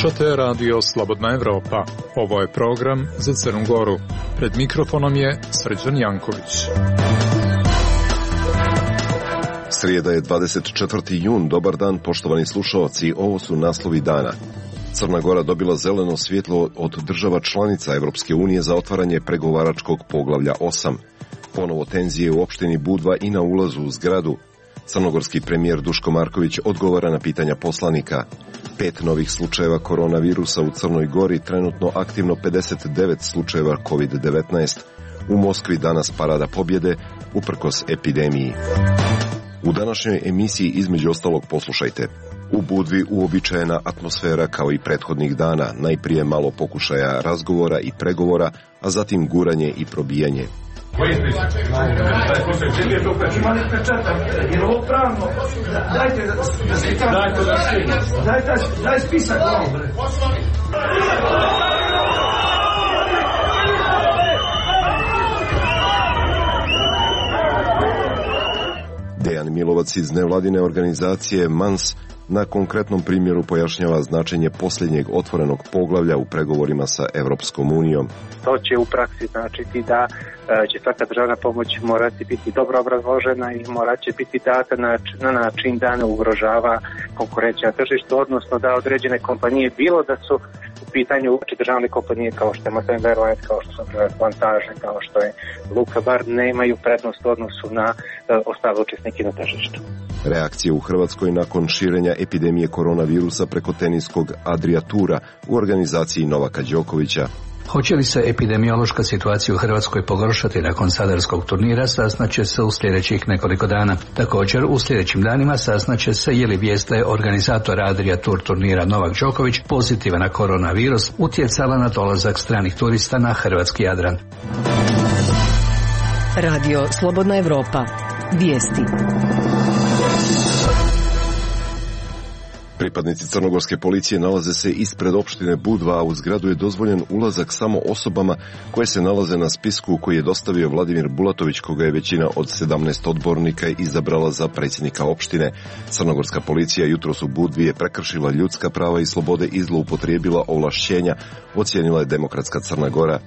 Slušate Radio Slobodna Evropa. Ovo je program za Crnu Goru. Pred mikrofonom je Srđan Janković. Srijeda je 24. jun. Dobar dan, poštovani slušalci. Ovo su naslovi dana. Crna Gora dobila zeleno svjetlo od država članica Evropske unije za otvaranje pregovaračkog poglavlja 8. Ponovo tenzije u opštini Budva i na ulazu u zgradu. Crnogorski premijer Duško Marković odgovara na pitanja poslanika. 5 novih slučajeva koronavirusa u Crnoj Gori, trenutno aktivno 59 slučajeva COVID-19. U Moskvi danas parada pobjede, uprkos epidemiji. U današnjoj emisiji između ostalog poslušajte. U Budvi uobičajena atmosfera kao i prethodnih dana, najprije malo pokušaja razgovora i pregovora, a zatim guranje i probijanje. Daj spisak. Dejan Milovac iz nevladine organizacije MANS na konkretnom primjeru pojašnjava značenje posljednjeg otvorenog poglavlja u pregovorima sa Evropskom unijom. To će u praksi značiti da će svaka državna pomoć morati biti dobro obrazložena i morat će biti data na način da ne ugrožava konkurencija na tržištu, odnosno da određene kompanije, bilo da su u pitanju državne kompanije kao što je Masan Airlines, kao što su Plantaže, kao što je Luka Bar, nemaju prednost u odnosu na ostale učesnike na tržištu. Reakcije u Hrvatskoj nakon širenja epidemije koronavirusa preko teniskog Adria Tura u organizaciji Novaka Đokovića. Hoće li se epidemiološka situacija u Hrvatskoj pogoršati nakon sadarskog turnira, saznaće se u sljedećih nekoliko dana. Također, u sljedećim danima saznaće se je li vijest da je organizator Adria Tour turnira Novak Đoković pozitivan na koronavirus utjecala na dolazak stranih turista na hrvatski Jadran. Radio Slobodna Evropa. Vijesti. Pripadnici crnogorske policije nalaze se ispred opštine Budva, a u zgradu je dozvoljen ulazak samo osobama koje se nalaze na spisku koji je dostavio Vladimir Bulatović, koga je većina od 17 odbornika izabrala za predsjednika opštine. Crnogorska policija jutros u Budvi je prekršila ljudska prava i slobode i zloupotrijebila ovlašćenja, ocijenila je Demokratska Crna Gora.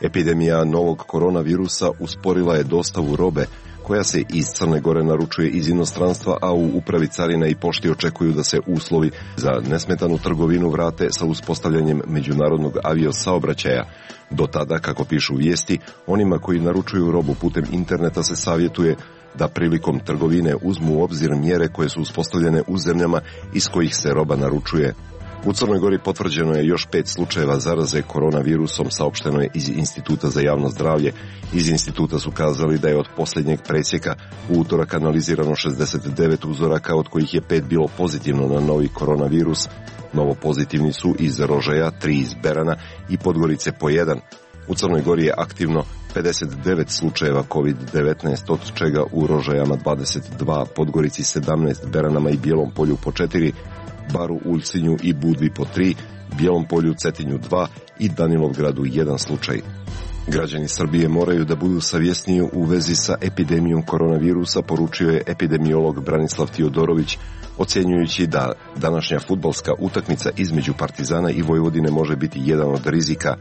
Epidemija novog koronavirusa usporila je dostavu robe koja se iz Crne Gore naručuje iz inostranstva, a u upravi carina i pošti očekuju da se uslovi za nesmetanu trgovinu vrate sa uspostavljanjem međunarodnog aviosaobraćaja. Do tada, kako pišu vijesti, onima koji naručuju robu putem interneta se savjetuje da prilikom trgovine uzmu u obzir mjere koje su uspostavljene u zemljama iz kojih se roba naručuje. U Crnoj Gori potvrđeno je još 5 slučajeva zaraze koronavirusom, saopšteno je iz Instituta za javno zdravlje. Iz instituta su kazali da je od posljednjeg presjeka u utorak analizirano 69 uzoraka, od kojih je 5 bilo pozitivno na novi koronavirus. Novo pozitivni su iz Rožaja, 3 iz Berana i Podgorice po 1. U Crnoj Gori je aktivno 59 slučajeva COVID-19, od čega u Rožajama 22, Podgorici 17, Beranama i Bijelom Polju po 4, Baru, Ulcinju i Budvi po 3, Bijelom Polju, Cetinju 2 i Danilovgradu 1 slučaj. Građani Srbije moraju da budu savjesniji u vezi sa epidemijom koronavirusa, poručio je epidemiolog Branislav Tiodorović, ocjenjujući da današnja fudbalska utakmica između Partizana i Vojvodine može biti jedan od rizika.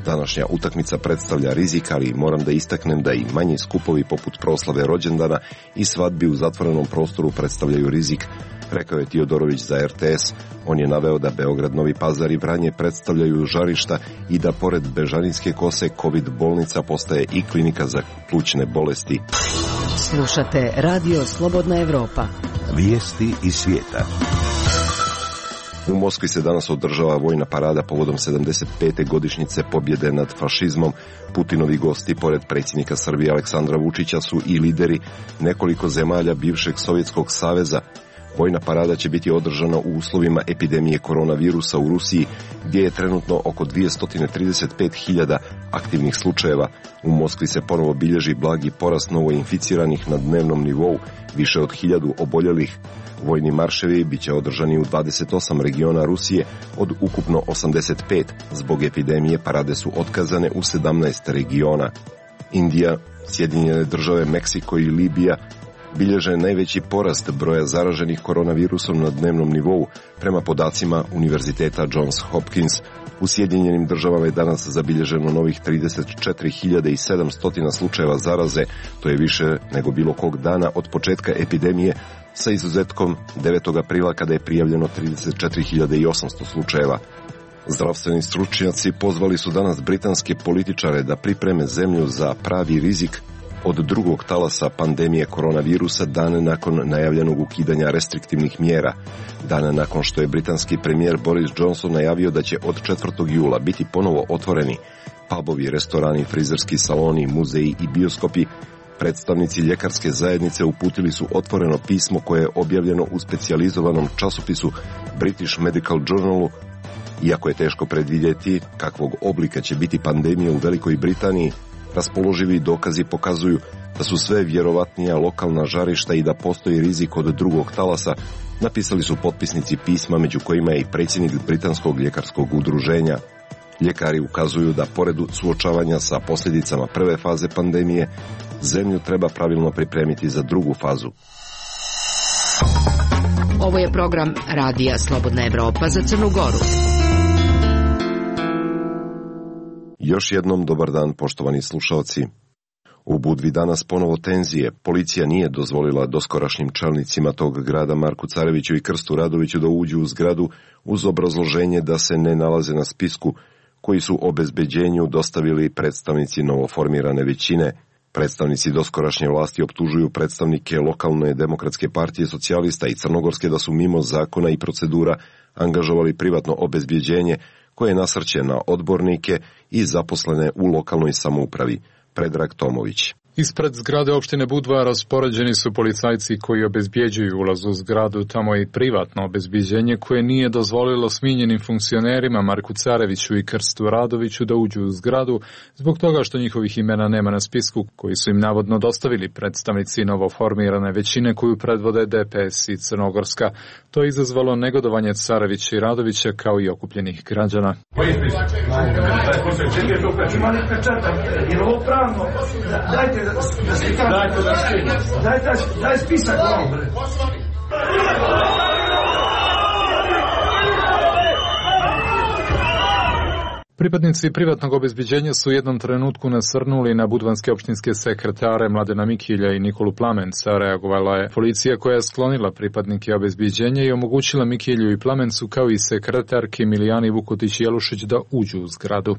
Današnja utakmica predstavlja rizik, ali moram da istaknem da i manji skupovi poput proslave rođendana i svadbi u zatvorenom prostoru predstavljaju rizik, rekao je Tiodorović za RTS. On je naveo da Beograd, Novi Pazar i Vranje predstavljaju žarišta i da pored Bežanijske kose COVID bolnica postaje i klinika za plućne bolesti. Slušate Radio Slobodna Evropa. Vijesti iz svijeta. U Moskvi se danas održava vojna parada povodom 75. godišnjice pobjede nad fašizmom. Putinovi gosti, pored predsjednika Srbije Aleksandra Vučića, su i lideri nekoliko zemalja bivšeg Sovjetskog saveza. Vojna parada će biti održana u uslovima epidemije koronavirusa u Rusiji, gdje je trenutno oko 235.000 aktivnih slučajeva. U Moskvi se ponovo bilježi blagi porast novoinficiranih na dnevnom nivou, više od 1000 oboljelih. Vojni marševi biće održani u 28 regiona Rusije od ukupno 85. Zbog epidemije parade su otkazane u 17 regiona. Indija, Sjedinjene Države, Meksiko i Libija bilježe najveći porast broja zaraženih koronavirusom na dnevnom nivou, prema podacima Univerziteta Johns Hopkins. U Sjedinjenim državama je danas zabilježeno novih 34.700 slučajeva zaraze, to je više nego bilo kog dana od početka epidemije, sa izuzetkom 9. aprila kada je prijavljeno 34.800 slučajeva. Zdravstveni stručnjaci pozvali su danas britanske političare da pripreme zemlju za pravi rizik od drugog talasa pandemije koronavirusa dane nakon najavljenog ukidanja restriktivnih mjera, dane nakon što je britanski premijer Boris Johnson najavio da će od 4. jula biti ponovo otvoreni pubovi, restorani, frizerski saloni, muzeji i bioskopi. Predstavnici ljekarske zajednice uputili su otvoreno pismo koje je objavljeno u specijalizovanom časopisu British Medical Journalu. Iako je teško predvidjeti kakvog oblika će biti pandemija u Velikoj Britaniji, raspoloživi dokazi pokazuju da su sve vjerovatnija lokalna žarišta i da postoji rizik od drugog talasa, napisali su potpisnici pisma, među kojima je i predsjednik Britanskog ljekarskog udruženja. Ljekari ukazuju da pored suočavanja sa posljedicama prve faze pandemije, zemlju treba pravilno pripremiti za drugu fazu. Ovo je program Radija Slobodna Evropa za Crnu Goru. Još jednom dobar dan, poštovani slušalci. U Budvi danas ponovo tenzije. Policija nije dozvolila doskorašnjim čelnicima tog grada Marku Careviću i Krstu Radoviću da uđu u zgradu uz obrazloženje da se ne nalaze na spisku koji su obezbeđenju dostavili predstavnici novoformirane većine. Predstavnici doskorašnje vlasti optužuju predstavnike lokalne demokratske partije socijalista i crnogorske da su mimo zakona i procedura angažovali privatno obezbeđenje koje nasrće na odbornike i zaposlene u lokalnoj samoupravi. Predrag Tomović. Ispred zgrade opštine Budva raspoređeni su policajci koji obezbjeđuju ulaz u zgradu, tamo je i privatno obezbjeđenje koje nije dozvolilo smijenjenim funkcionerima Marku Careviću i Krstu Radoviću da uđu u zgradu zbog toga što njihovih imena nema na spisku koji su im navodno dostavili predstavnici novoformirane većine koju predvode DPS i Crnogorska. To je izazvalo negodovanje Carevića i Radovića kao i okupljenih građana. Daj spisak ovom, bre. Pripadnici privatnog obezbeđenja su u jednom trenutku nasrnuli na budvanske opštinske sekretare Mladena Mikilja i Nikolu Plamenca. Reagovala je policija koja je sklonila pripadnike obezbeđenja i omogućila Mikilju i Plamencu kao i sekretarki Milijani Vukotić-Jelušić da uđu u zgradu.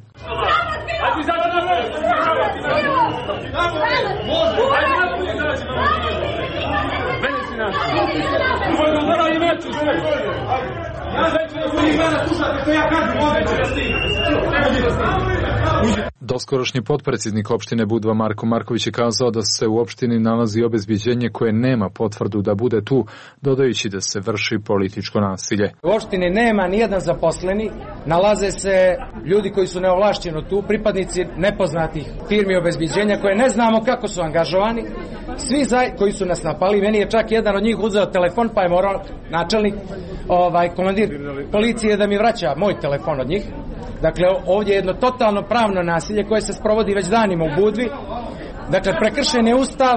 Doskorošnji potpredsjednik opštine Budva Marko Marković je kazao da se u opštini nalazi obezbeđenje koje nema potvrdu da bude tu, dodajući da se vrši političko nasilje. U opštini nema nijedan zaposleni, nalaze se ljudi koji su neovlašćeno tu, pripadnici nepoznatih firmi obezbeđenja koje ne znamo kako su angažovani, svi koji su nas napali. Meni je čak jedan od njih uzeo telefon pa je morao načelnik, komandir policije da mi vraća moj telefon od njih. Dakle, ovdje je jedno totalno pravno nasilje koje se sprovodi već danima u Budvi. Dakle, prekršen je Ustav,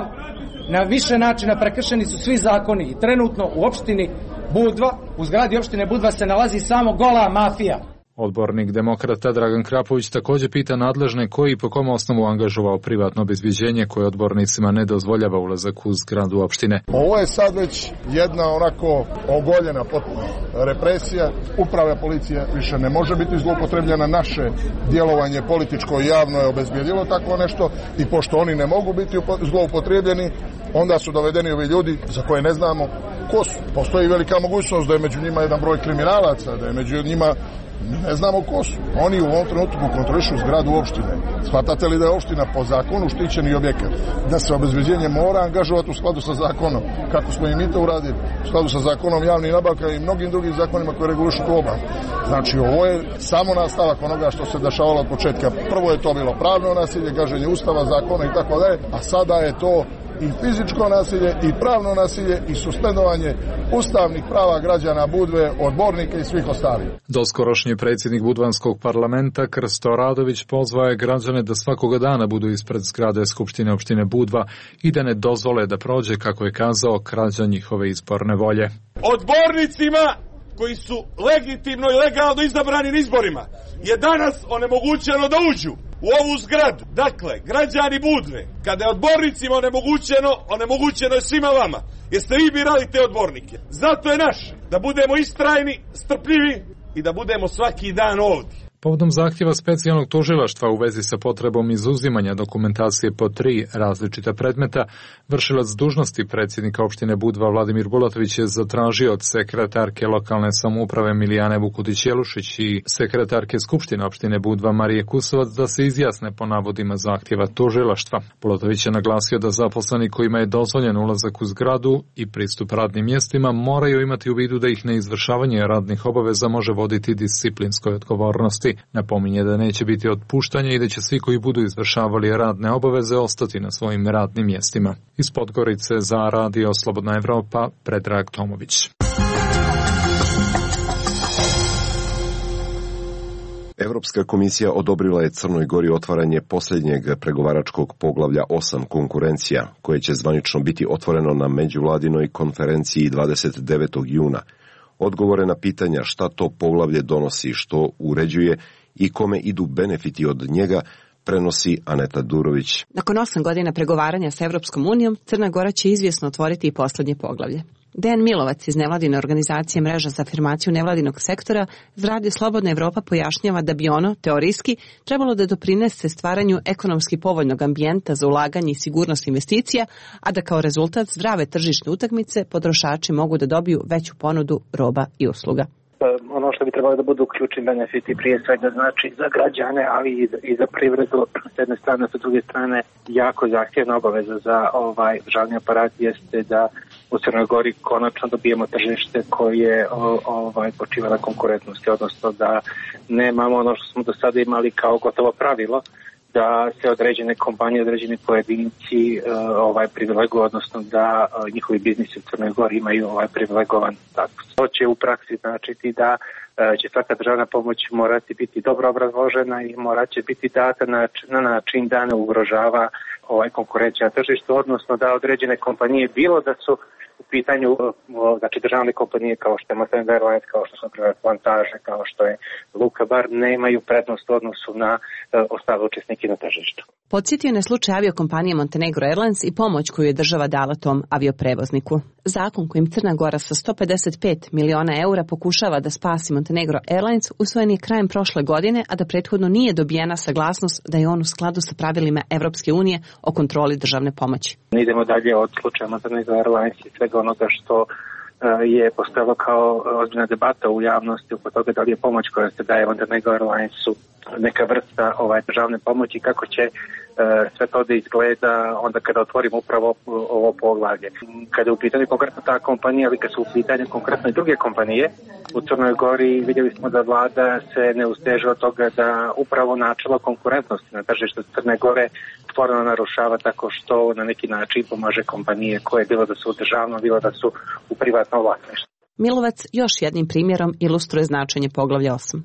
na više načina prekršeni su svi zakoni i trenutno u opštini Budva, u zgradi opštine Budva se nalazi samo gola mafija. Odbornik demokrata Dragan Krapović također pita nadležne koji i po kom osnovu angažovao privatno obezbeđenje koje odbornicima ne dozvoljava ulazak u zgradu opštine. Ovo je sad već jedna onako ogoljena potpuno represija. Uprava policije više ne može biti zloupotrebljena. Naše djelovanje političko i javno je obezbijedilo takvo nešto i pošto oni ne mogu biti zloupotrebljeni, onda su dovedeni ovi ljudi za koje ne znamo ko su. Postoji velika mogućnost da je među njima jedan broj kriminalaca, da je među njima ne znamo ko su. Oni u ovom trenutku kontrolišu zgradu opštine. Shvatate li da je opština po zakonu štićeni objekat? Da se obezbeđenje mora angažovati u skladu sa zakonom, kako smo i mi to uradili, u skladu sa zakonom javnih nabavka i mnogim drugim zakonima koji regulišu tu oblast. Znači, ovo je samo nastavak onoga što se dešavalo od početka. Prvo je to bilo pravno nasilje, gaženje Ustava, zakona i tako dalje, a sada je to i fizičko nasilje i pravno nasilje i suspendovanje ustavnih prava građana Budve, odbornika i svih ostalih. Doskorošnji predsjednik Budvanskog parlamenta Krsto Radović pozvao je građane da svakoga dana budu ispred zgrade Skupštine opštine Budva i da ne dozvole da prođe, kako je kazao, krađa njihove izborne volje. Odbornicima koji su legitimno i legalno izabrani na izborima je danas onemogućeno da uđu u ovu zgradu. Dakle, građani Budve, kada je odbornicima onemogućeno je svima vama. Jeste vi birali te odbornike? Zato je naše da budemo istrajni, strpljivi i da budemo svaki dan ovdje. Povodom zahtjeva specijalnog tužilaštva u vezi sa potrebom izuzimanja dokumentacije po 3 različita predmeta, vršilac dužnosti predsjednika opštine Budva Vladimir Bulatović je zatražio od sekretarke lokalne samouprave Milijane Vukudić-Jelušić i sekretarke Skupštine opštine Budva Marije Kusovac da se izjasne po navodima zahtjeva tužilaštva. Bulatović je naglasio da zaposleni kojima je dozvoljen ulazak u zgradu i pristup radnim mjestima moraju imati u vidu da ih neizvršavanje radnih obaveza može voditi disciplinskoj odgovornosti. Napominje da neće biti otpuštanja i da će svi koji budu izvršavali radne obaveze ostati na svojim radnim mjestima. Iz Podgorice za Radio Slobodna Evropa, Predrag Tomović. Evropska komisija odobrila je Crnoj Gori otvaranje posljednjeg pregovaračkog poglavlja 8 konkurencija, koje će zvanično biti otvoreno na međuvladinoj konferenciji 29. juna. Odgovore na pitanja šta to poglavlje donosi, što uređuje i kome idu benefiti od njega, prenosi Aneta Durović. Nakon 8 godina pregovaranja sa Evropskom unijom, Crna Gora će izvjesno otvoriti i posljednje poglavlje. Dejan Milovac iz nevladine organizacije Mreža za afirmaciju nevladinog sektora z Radio Slobodna Evropa pojašnjava da bi ono, teorijski, trebalo da doprinese stvaranju ekonomski povoljnog ambijenta za ulaganje i sigurnost investicija, a da kao rezultat zdrave tržišne utakmice potrošači mogu da dobiju veću ponudu roba i usluga. Ono što bi trebalo da budu ključni benefiti prije svega znači za građane, ali i za privredu s jedne strane, s druge strane jako zahtjevna obaveza za državni aparat jeste da u Crnoj Gori konačno dobijemo tržište koje počiva na konkurentnosti, odnosno da nemamo ono što smo do sada imali kao gotovo pravilo, da se određene kompanije, određeni pojedinci privileguju, odnosno da njihovi biznisi u Crnoj Gori imaju privilegovan status. To će u praksi značiti da će svaka državna pomoć morati biti dobro obrazložena i morat će biti data na način da ne ugrožava konkurencija na tržištu, odnosno da određene kompanije, bilo da su u pitanju državne kompanije kao što je Mosaic Airlines, kao što su Plantaže, kao što je Luka Bar, nemaju prednost u odnosu na ostale učesnike na tržištu. Podsjetio na slučaj aviokompanije Montenegro Airlines i pomoć koju je država dala tom avioprevozniku. Zakon kojim Crna Gora sa 155 miliona eura pokušava da spasi Montenegro Airlines usvojen je krajem prošle godine, a da prethodno nije dobijena saglasnost da je on u skladu sa pravilima Evropske unije o kontroli državne pomoći. Idemo dalje od slučaja Montenegro Airlines i svega onoga što je postojalo kao ozbiljna debata u javnosti oko toga da li je pomoć koja se daje Montenegro Airlinesu neka vrsta državne pomoći, kako će sve to da izgleda onda kada otvorimo upravo ovo poglavlje. Kada je u pitanju konkretno ta kompanija, ali kada su u pitanju konkretno i druge kompanije, u Crnoj Gori vidjeli smo da vlada se ne usteže od toga da upravo načelo konkurentnosti na tržištu Crne Gore stvarno narušava tako što na neki način pomaže kompanije koje bilo da su u državnom, bilo da su u privatnom vlasništvu. Milovac još jednim primjerom ilustruje značenje poglavlja 8.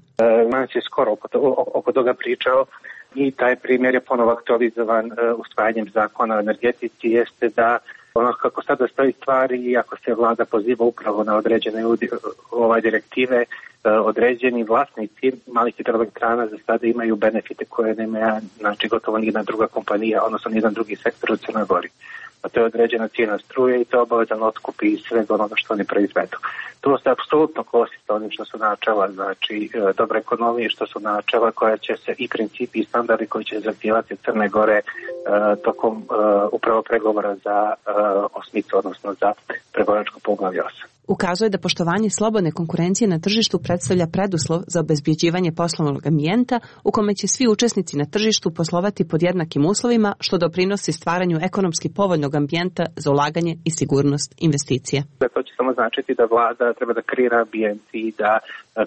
Mans je skoro oko toga pričao i taj primjer je ponovo aktualizovan usvajanjem zakona o energetici, jeste da ono kako sada stoji stvari i ako se vlada poziva upravo na određene direktive, određeni vlasnici malih hidroelektrana za sada imaju benefite koje nema gotovo nijedna druga kompanija, odnosno nijedan drugi sektor u Crnoj Gori. A to je određena cijena struje i to je obavezan otkup i svega onoga što oni proizvedu. To se apsolutno kosi sa onim što su načela, dobre ekonomije, što su načela koja će se i principi i standardi koji će zahtijevati Crne Gore tokom upravo pregovora za osmicu, odnosno za pregovaračko poglavlje 8. Ukazuje da poštovanje slobodne konkurencije na tržištu predstavlja preduslov za obezbjeđivanje poslovnog ambijenta u kome će svi učesnici na tržištu poslovati pod jednakim uslovima, što doprinosi stvaranju ekonomski povoljnog ambijenta za ulaganje i sigurnost investicija. To će samo značiti da vlada treba da kreira ambijent i da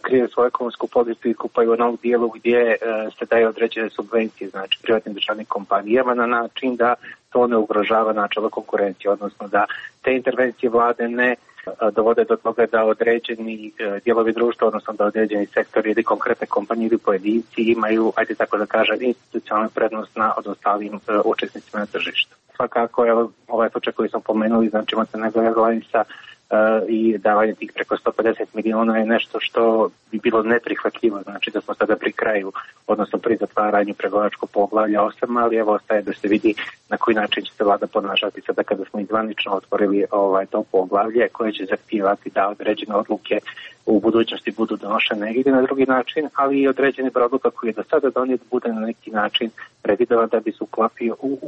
kreira svoju ekonomsku politiku pa i u onom dijelu gdje se daje određene subvencije, znači privatnim državnim kompanijama na način da to ne ugrožava načelo konkurencije, odnosno da te intervencije vlade ne dovode do toga da određeni dijelovi društva, odnosno da određeni sektori ili konkretne kompanije ili pojedinci imaju, ajde tako da kažem, institucionalnu prednost nad ostalim učesnicima na tržištu. Svakako, ovaj slučaj koji smo pomenuli, znači Crnogorska granica i davanje tih preko 150 miliona je nešto što bi bilo neprihvatljivo, znači da smo sada pri kraju, odnosno pri zatvaranju pregovaračkog poglavlja 8, ali evo ostaje da se vidi na koji način će se vlada ponašati sada kada smo izvanično otvorili to poglavlje koje će zahtijevati da određene odluke u budućnosti budu donošene ili na drugi način, ali i određeni broj odluka koji je do sada donijet bude na neki način revidovan da bi se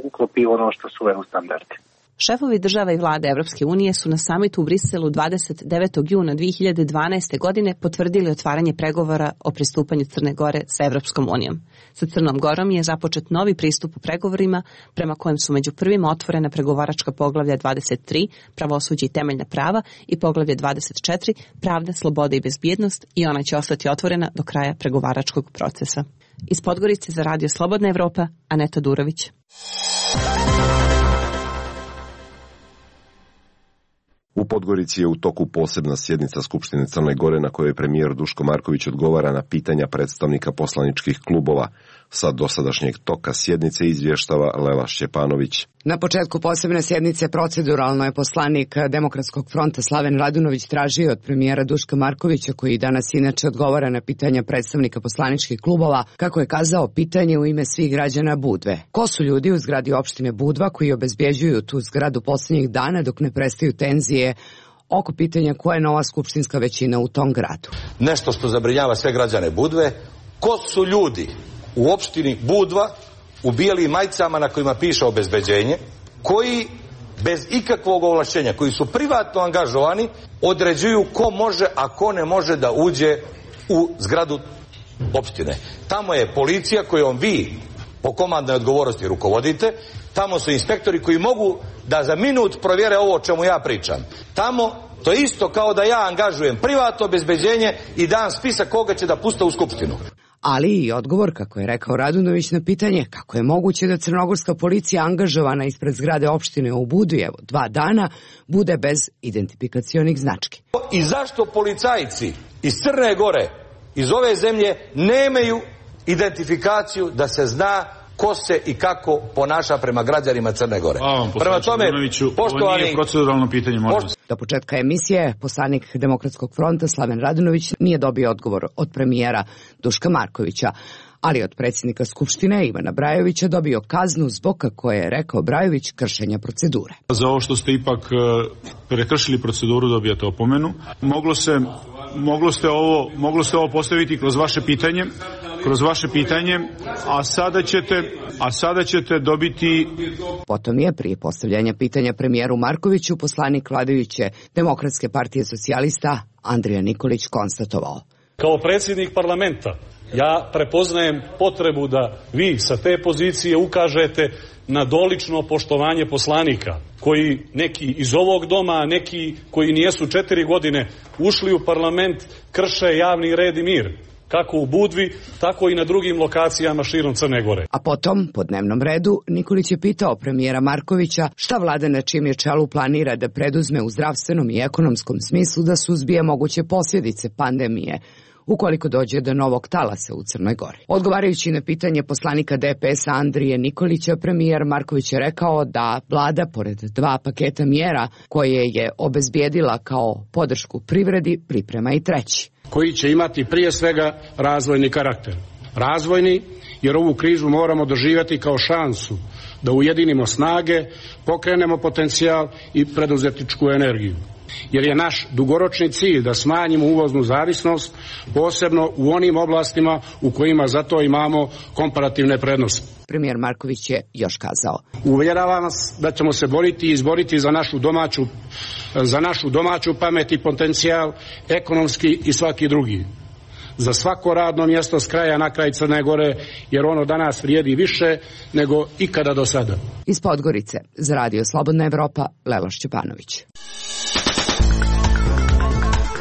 uklopio ono što su EU standardi. Šefovi država i vlade Evropske unije su na samitu u Briselu 29. juna 2012. godine potvrdili otvaranje pregovora o pristupanju Crne Gore sa Evropskom unijom. Sa Crnom Gorom je započet novi pristup u pregovorima prema kojem su među prvima otvorena pregovaračka poglavlja 23, pravosuđe i temeljna prava, i poglavlje 24, pravda, sloboda i bezbjednost, i ona će ostati otvorena do kraja pregovaračkog procesa. Iz Podgorice za Radio Slobodna Evropa, Aneta Durović. U Podgorici je u toku posebna sjednica Skupštine Crne Gore na kojoj premijer Duško Marković odgovara na pitanja predstavnika poslaničkih klubova. Sa dosadašnjeg toka sjednice izvještava Lela Šćepanović. Na početku posebne sjednice proceduralno je poslanik Demokratskog fronta Slaven Radunović tražio od premijera Duška Markovića, koji danas inače odgovara na pitanja predstavnika poslaničkih klubova, kako je kazao, pitanje u ime svih građana Budve. Ko su ljudi u zgradi opštine Budva koji obezbjeđuju tu zgradu posljednjih dana dok ne prestaju tenzije oko pitanja koja je nova skupštinska većina u tom gradu? Nešto što zabrinjava sve građane Budve, ko su ljudi u opštini Budva u bijelim majicama na kojima piše obezbeđenje, koji bez ikakvog ovlašćenja, koji su privatno angažovani, određuju ko može, a ko ne može da uđe u zgradu opštine. Tamo je policija kojom vi po komandnoj odgovornosti rukovodite, tamo su inspektori koji mogu da za minut provjere ovo o čemu ja pričam. Tamo to je isto kao da ja angažujem privatno obezbeđenje i dam spisak koga će da puste u skupštinu. Ali i odgovor, kako je rekao Radunović na pitanje kako je moguće da crnogorska policija angažovana ispred zgrade opštine u Budvi, 2 dana, bude bez identifikacionih znački. I zašto policajci iz Crne Gore, iz ove zemlje, nemaju identifikaciju da se zna ko se i kako ponaša prema građanima Crne Gore? Prema tome, poštovani, ovo nije proceduralno pitanje, molim vas. Do početka emisije poslanik Demokratskog fronta Slaven Radunović nije dobio odgovor od premijera Duška Markovića, ali od predsjednika Skupštine Ivana Brajovića dobio kaznu zbog, kako je rekao Brajović, kršenja procedure. Za ovo što ste ipak prekršili proceduru dobijate opomenu. Moglo ste ovo postaviti kroz vaše pitanje, a sada ćete dobiti... Potom je prije postavljanja pitanja premijeru Markoviću poslanik vladajuće Demokratske partije socijalista Andrija Nikolić konstatovao: kao predsjednik parlamenta ja prepoznajem potrebu da vi sa te pozicije ukažete na dolično poštovanje poslanika, koji neki iz ovog doma, a neki koji nijesu 4 godine ušli u parlament, krše javni red i mir, kako u Budvi, tako i na drugim lokacijama širom Crne Gore. A potom, po dnevnom redu, Nikolić je pitao premijera Markovića šta vlada na čijem je čelu planira da preduzme u zdravstvenom i ekonomskom smislu da suzbije moguće posljedice pandemije ukoliko dođe do novog talasa u Crnoj Gori. Odgovarajući na pitanje poslanika DPS-a Andrije Nikolića, premijer Marković je rekao da vlada, pored 2 paketa mjera koje je obezbijedila kao podršku privredi, priprema i 3. koji će imati prije svega razvojni karakter. Razvojni, jer ovu krizu moramo doživjeti kao šansu da ujedinimo snage, pokrenemo potencijal i preduzetničku energiju. jer je naš dugoročni cilj da smanjimo uvoznu zavisnost, posebno u onim oblastima u kojima zato imamo komparativne prednosti. Premijer Marković je još kazao: uvjeravam vas da ćemo se boriti i izboriti za našu domaću pamet i potencijal, ekonomski i svaki drugi. Za svako radno mjesto s kraja na kraj Crne Gore, jer ono danas vrijedi više nego ikada do sada. Iz Podgorice za Radio Slobodna Evropa, Lela Šćepanović.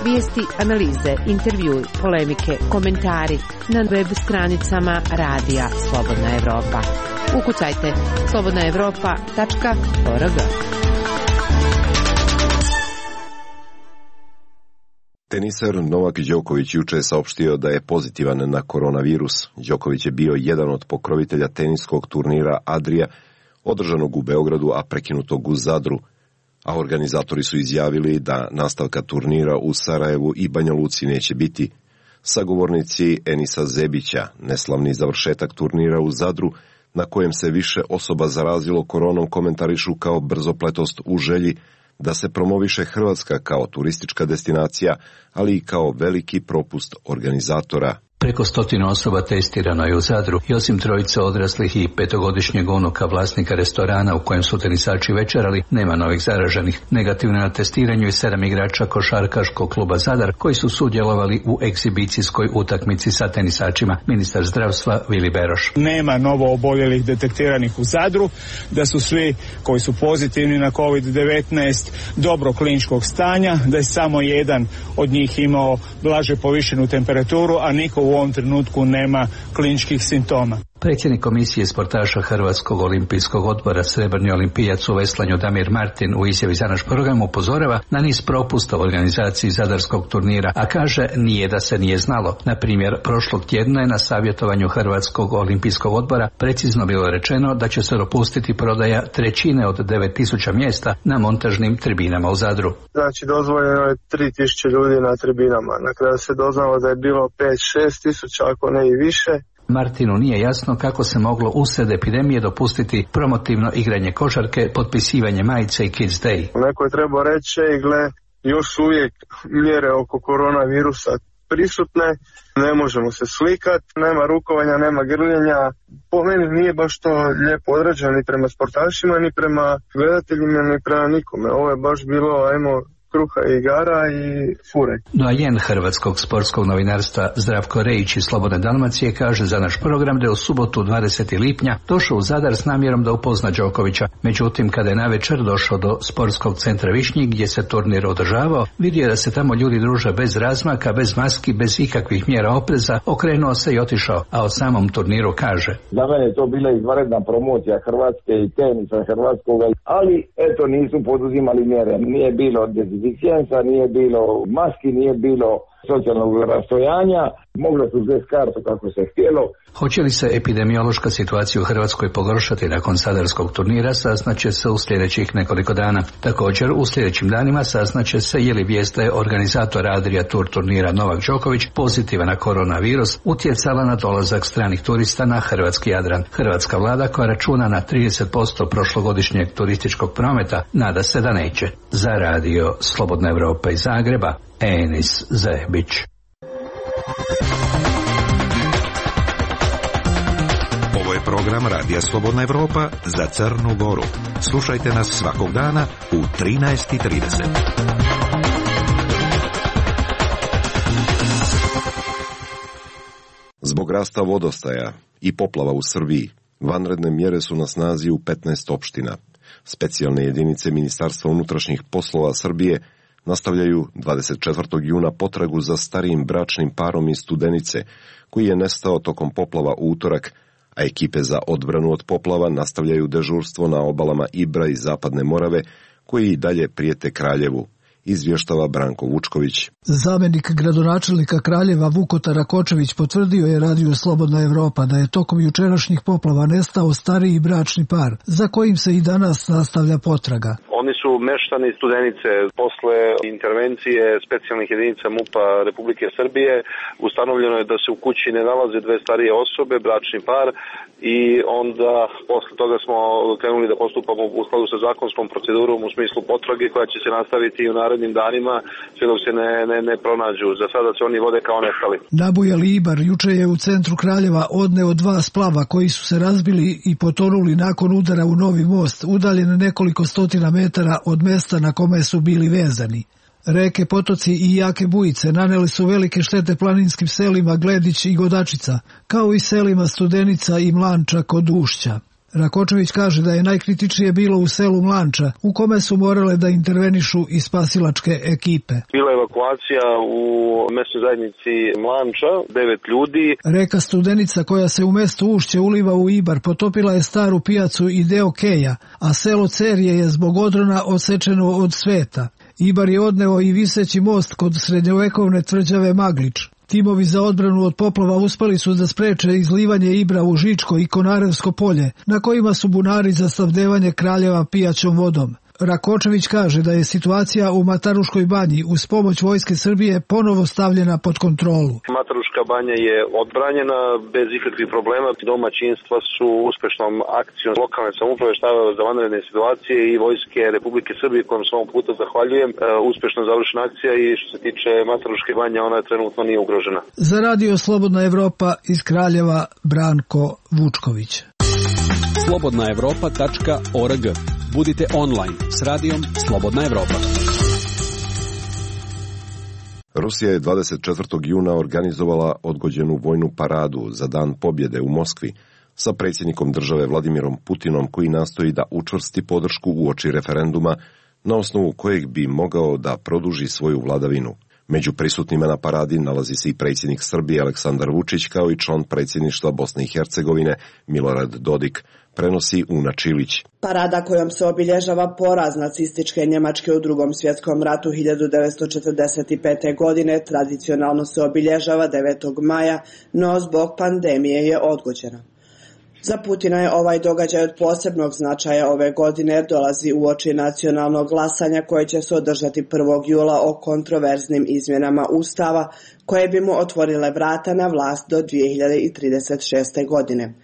Vijesti, analize, intervjui, polemike, komentari na web stranicama Radija Slobodna Evropa. Ukucajte slobodnaevropa.org. Teniser Novak Đoković juče je saopštio da je pozitivan na koronavirus. Đoković je bio jedan od pokrovitelja teniskog turnira Adria, održanog u Beogradu, a prekinutog u Zadru. A organizatori su izjavili da nastavka turnira u Sarajevu i Banja Luci neće biti. Sagovornici Enisa Zebića, neslavni završetak turnira u Zadru, na kojem se više osoba zarazilo koronom, komentarišu kao brzopletost u želji da se promoviše Hrvatska kao turistička destinacija, ali i kao veliki propust organizatora. Preko 100 osoba testirano je u Zadru i osim trojice odraslih i 5-godišnjeg unuka vlasnika restorana u kojem su tenisači večerali, nema novih zaraženih. Negativno na testiranju je 7 igrača košarkaškog kluba Zadar koji su sudjelovali u egzibicijskoj utakmici sa tenisačima. Ministar zdravstva Vili Beroš: nema novo oboljelih detektiranih u Zadru, da su svi koji su pozitivni na COVID-19 dobro kliničkog stanja, da je samo jedan od njih imao blaže povišenu temperaturu, a niko u ovom trenutku nema kliničkih simptoma. Predsjednik komisije sportaša Hrvatskog olimpijskog odbora, srebrni olimpijac u veslanju Damir Martin, u izjavi za naš program upozorava na niz propusta u organizaciji zadarskog turnira, a kaže nije da se nije znalo. Na primjer, prošlog tjedna je na savjetovanju Hrvatskog olimpijskog odbora precizno bilo rečeno da će se dopustiti prodaja 1/3 od 9000 mjesta na montažnim tribinama u Zadru. Znači, dozvoljeno je 3000 ljudi na tribinama. Na kraju se doznalo da je bilo 5-6 tisuća, ako ne i više. Martinu nije jasno kako se moglo usred epidemije dopustiti promotivno igranje košarke, potpisivanje majice i Kids Day. Neko je trebao reći, gle, još uvijek mjere oko koronavirusa prisutne, ne možemo se slikati, nema rukovanja, nema grljenja. Po meni nije baš to lijepo odrađeno ni prema sportašima, ni prema gledateljima, ni prema nikome. Ovo je baš bilo, ajmo, kruha i igara i fure. Doajen hrvatskog sportskog novinarstva Zdravko Rejić iz Slobodne Dalmacije kaže za naš program da je u subotu 20. lipnja došao u Zadar s namjerom da upozna Đokovića. Međutim, kada je navečer došao do sportskog centra Višnjik gdje se turnir održavao, vidio je da se tamo ljudi druže bez razmaka, bez maski, bez ikakvih mjera opreza, okrenuo se i otišao, a o samom turniru kaže: za mene je to bila izvanredna promocija Hrvatske i tenisa hrvatskog, ali eto nisu poduzimali mjere. Nije bilo dezinficijensa, nije bilo maski, nije bilo socijalnog rastojanja, moglo su bez kartu kako se htjelo. Hoće li se epidemiološka situacija u Hrvatskoj pogoršati nakon sadarskog turnira, saznaće se u sljedećih nekoliko dana. Također, u sljedećim danima saznaće se je li vijest da je organizator Adria Tour turnira Novak Đoković pozitivan na koronavirus utjecala na dolazak stranih turista na hrvatski Jadran. Hrvatska vlada, koja računa na 30% prošlogodišnjeg turističkog prometa, nada se da neće. Za Radio Slobodna Evropa iz Zagreba, Enis Zebić. Ovo je program Radija Slobodna Evropa za Crnu Goru. Slušajte nas svakog dana u 13:30. Zbog rasta vodostaja i poplava u Srbiji, vanredne mjere su na snazi u 15 opština. Specijalne jedinice Ministarstva unutrašnjih poslova Srbije nastavljaju 24. juna potragu za starijim bračnim parom iz Studenice, koji je nestao tokom poplava u utorak, a ekipe za odbranu od poplava nastavljaju dežurstvo na obalama Ibra i Zapadne Morave, koji i dalje prijete Kraljevu. Izvještava Branko Vučković. Zamenik gradonačelnika Kraljeva Vukotar Rakočević potvrdio je Radio Slobodna Evropa da je tokom jučerašnjih poplava nestao stariji bračni par, za kojim se i danas nastavlja potraga. Oni su meštani Studenice. Posle intervencije specijalnih jedinica MUP-a Republike Srbije ustanovljeno je da se u kući ne nalaze dve starije osobe, bračni par, i onda posle toga smo krenuli da postupamo u skladu sa zakonskom procedurom u smislu potrage koja će se nastaviti i u narednim danima sve dok se ne pronađu. Za sada se oni vode kao nestali. Nabujali Ibar juče je u centru Kraljeva odneo 2 splava koji su se razbili i potonuli nakon udara u novi most, udaljen nekoliko stotina metara od mesta na kome su bili vezani. Reke, potoci i jake bujice naneli su velike štete planinskim selima Gledić i Godačica, kao i selima Studenica i Mlanča kod Ušća. Rakočević kaže da je najkritičnije bilo u selu Mlanča, u kome su morale da intervenišu i spasilačke ekipe. Bila je evakuacija u mesnoj zajednici Mlanča, 9 ljudi. Reka Studenica koja se u mestu Ušće uliva u Ibar potopila je staru pijacu i deo Keja, a selo Cerje je zbog odrona odsečeno od sveta. Ibar je odneo i viseći most kod srednjovekovne tvrđave Maglič. Timovi za odbranu od poplava uspeli su da spreče izlivanje Ibra u Žičko i Konarevsko polje, na kojima su bunari za snabdevanje Kraljeva pijaćom vodom. Rakočević kaže da je situacija u Mataruškoj banji uz pomoć Vojske Srbije ponovo stavljena pod kontrolu. Mataruška banja je odbranjena bez ikakvih problema. Domaćinstva su uspešnom akcijom lokalne samouprave, štaba za vanredne situacije i Vojske Republike Srbije, kojom se ovom puta zahvaljujem. Uspešno završena akcija i što se tiče Mataruške banje, ona trenutno nije ugrožena. Za Radio Slobodna Evropa iz Kraljeva, Branko Vučković. slobodnaevropa.org. Budite online s radijom Slobodna Evropa. Rusija je 24. juna organizovala odgođenu vojnu paradu za Dan pobjede u Moskvi sa predsjednikom države Vladimirom Putinom, koji nastoji da učvrsti podršku uoči referenduma na osnovu kojeg bi mogao da produži svoju vladavinu. Među prisutnima na paradi nalazi se i predsjednik Srbije Aleksandar Vučić, kao i član predsjedništva Bosne i Hercegovine Milorad Dodik, prenosi Una Čilić. Parada kojom se obilježava poraz nacističke Njemačke u Drugom svjetskom ratu 1945. godine tradicionalno se obilježava 9. maja, no zbog pandemije je odgođena. Za Putina je ovaj događaj od posebnog značaja ove godine jer dolazi uoči nacionalnog glasanja koje će se održati 1. jula o kontroverznim izmjenama Ustava koje bi mu otvorile vrata na vlast do 2036. godine.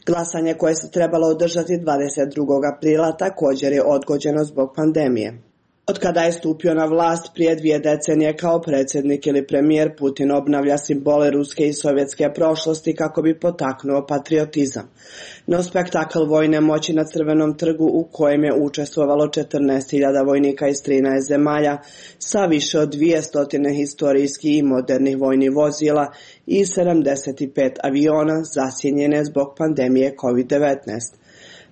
Glasanje koje se trebalo održati 22. aprila također je odgođeno zbog pandemije. Od kada je stupio na vlast prije 2 decenije kao predsjednik ili premijer, Putin obnavlja simbole ruske i sovjetske prošlosti kako bi potaknuo patriotizam. No spektakl vojne moći na Crvenom trgu u kojem je učestvovalo 14.000 vojnika iz 13 zemalja sa više od 200 historijskih i modernih vojnih vozila i 75 aviona zasjenjene zbog pandemije COVID-19.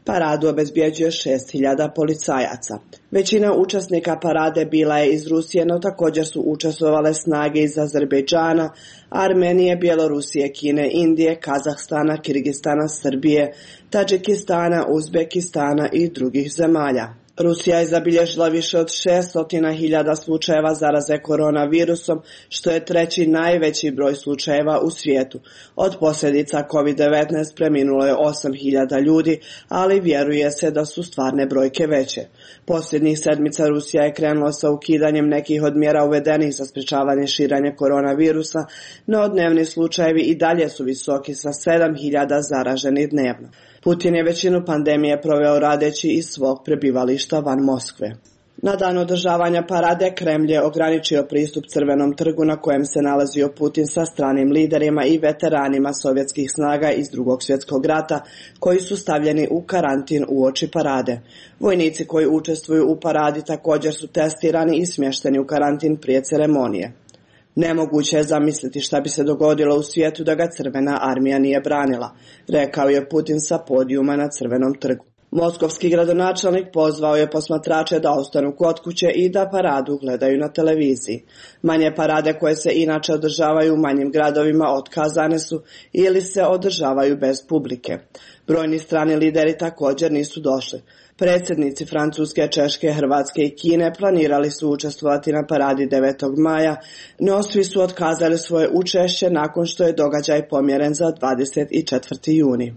Paradu obezbjeđuje 6.000 policajaca. Većina učesnika parade bila je iz Rusije, no također su učestvovale snage iz Azerbejdžana, Armenije, Bjelorusije, Kine, Indije, Kazahstana, Kirgistana, Srbije, Tadžikistana, Uzbekistana i drugih zemalja. Rusija je zabilježila više od 600.000 slučajeva zaraze koronavirusom, što je 3. najveći broj slučajeva u svijetu. Od posljedica COVID-19 preminulo je 8.000 ljudi, ali vjeruje se da su stvarne brojke veće. Posljednjih sedmica Rusija je krenula sa ukidanjem nekih od mjera uvedenih za sprečavanje širenja koronavirusa, no dnevni slučajevi i dalje su visoki sa 7.000 zaraženih dnevno. Putin je većinu pandemije proveo radeći iz svog prebivališta van Moskve. Na dan održavanja parade Kremlj je ograničio pristup Crvenom trgu na kojem se nalazio Putin sa stranim liderima i veteranima sovjetskih snaga iz Drugog svjetskog rata koji su stavljeni u karantin uoči parade. Vojnici koji učestvuju u paradi također su testirani i smješteni u karantin prije ceremonije. Nemoguće je zamisliti šta bi se dogodilo u svijetu da ga Crvena armija nije branila, rekao je Putin sa podijuma na Crvenom trgu. Moskovski gradonačelnik pozvao je posmatrače da ostanu kod kuće i da paradu gledaju na televiziji. Manje parade koje se inače održavaju u manjim gradovima otkazane su ili se održavaju bez publike. Brojni strani lideri također nisu došli. Predsjednici Francuske, Češke, Hrvatske i Kine planirali su učestvovati na paradi 9. maja, no svi su otkazali svoje učešće nakon što je događaj pomjeren za 24. juni.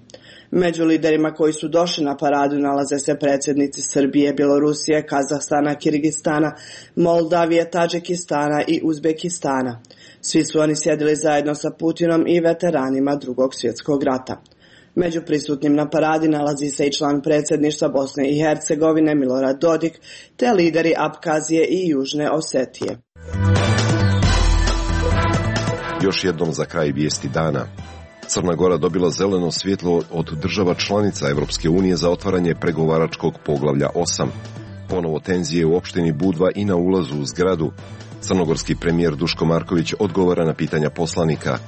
Među liderima koji su došli na paradu nalaze se predsjednici Srbije, Bjelorusije, Kazahstana, Kirgistana, Moldavije, Tadžikistana i Uzbekistana. Svi su oni sjedili zajedno sa Putinom i veteranima Drugog svjetskog rata. Među prisutnim na paradi nalazi se i član predsjedništva Bosne i Hercegovine Milorad Dodik, te lideri Apkazije i Južne Osetije. Još jednom za kraj vijesti dana. Crna Gora dobila zeleno svjetlo od država članica Evropske unije za otvaranje pregovaračkog poglavlja 8. Ponovo tenzije u opštini Budva i na ulazu u zgradu. Crnogorski premijer Duško Marković odgovara na pitanja poslanika.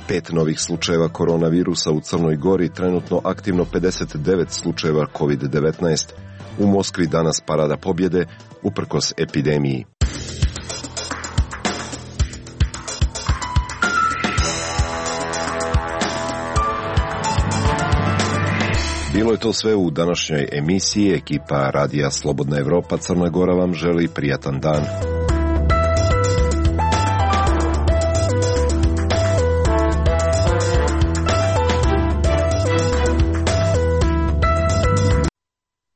5 novih slučajeva koronavirusa u Crnoj Gori, trenutno aktivno 59 slučajeva COVID-19. U Moskvi danas parada pobjede uprkos epidemiji. Bilo je to sve u današnjoj emisiji. Ekipa Radija Slobodna Evropa Crna Gora vam želi prijatan dan.